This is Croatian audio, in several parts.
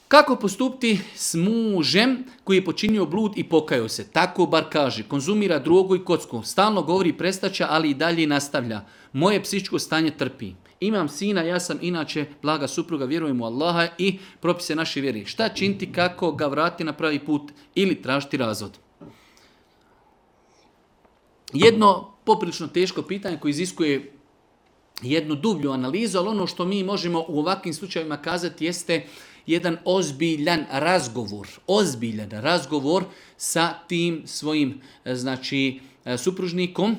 Kako postupiti s mužem koji je počinio blud i pokajao se? Tako bar kaže, konzumira drogu i kocku, stalno govori prestaće, ali i dalje nastavlja. Moje psihičko stanje trpi. Imam sina, ja sam inače blaga supruga, vjerujem u Allaha i propise naše vjere. Šta činiti, kako ga vratiti na pravi put ili tražiti razvod? Jedno poprilično teško pitanje koje iziskuje jednu dublju analizu, ali ono što mi možemo u ovakvim slučajevima kazati jeste jedan ozbiljan razgovor sa tim svojim supružnikom,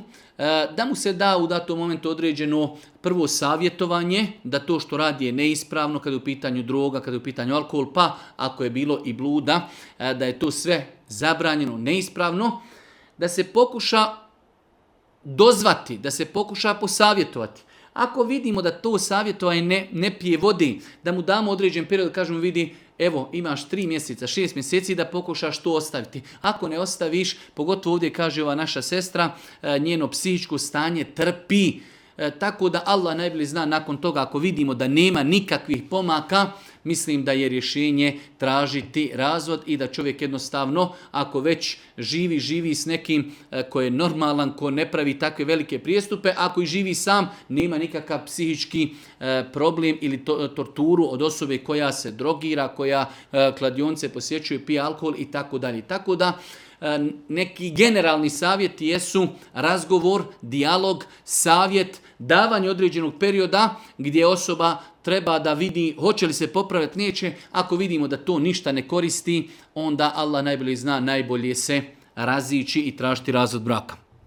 da mu se da u datom momentu određeno prvo savjetovanje, da to što radi je neispravno kada je u pitanju droga, kada je u pitanju alkohol, pa ako je bilo i bluda, da je to sve zabranjeno, neispravno, da se pokuša dozvati, da se pokuša posavjetovati. Ako vidimo da to savjetovanje ne pije vodi, da mu damo određen period, kažemo vidi, evo imaš 3 mjeseca, 6 mjeseci da pokušaš to ostaviti. Ako ne ostaviš, pogotovo ovdje kaže ova naša sestra, njeno psihičko stanje trpi. Tako da Allah najbolje zna nakon toga, ako vidimo da nema nikakvih pomaka, mislim da je rješenje tražiti razvod i da čovjek jednostavno, ako već živi s nekim ko je normalan, ko ne pravi takve velike prijestupe, ako i živi sam, nema nikakav psihički problem ili torturu od osobe koja se drogira, koja kladionce posjećuje, pije alkohol i tako dalje. Tako da neki generalni savjeti jesu razgovor, dijalog, savjet, davanje određenog perioda gdje osoba treba da vidi hoće li se popraviti, neće. Ako vidimo da to ništa ne koristi, onda Allah najbolje zna, najbolje se razići i tražiti razvod braka.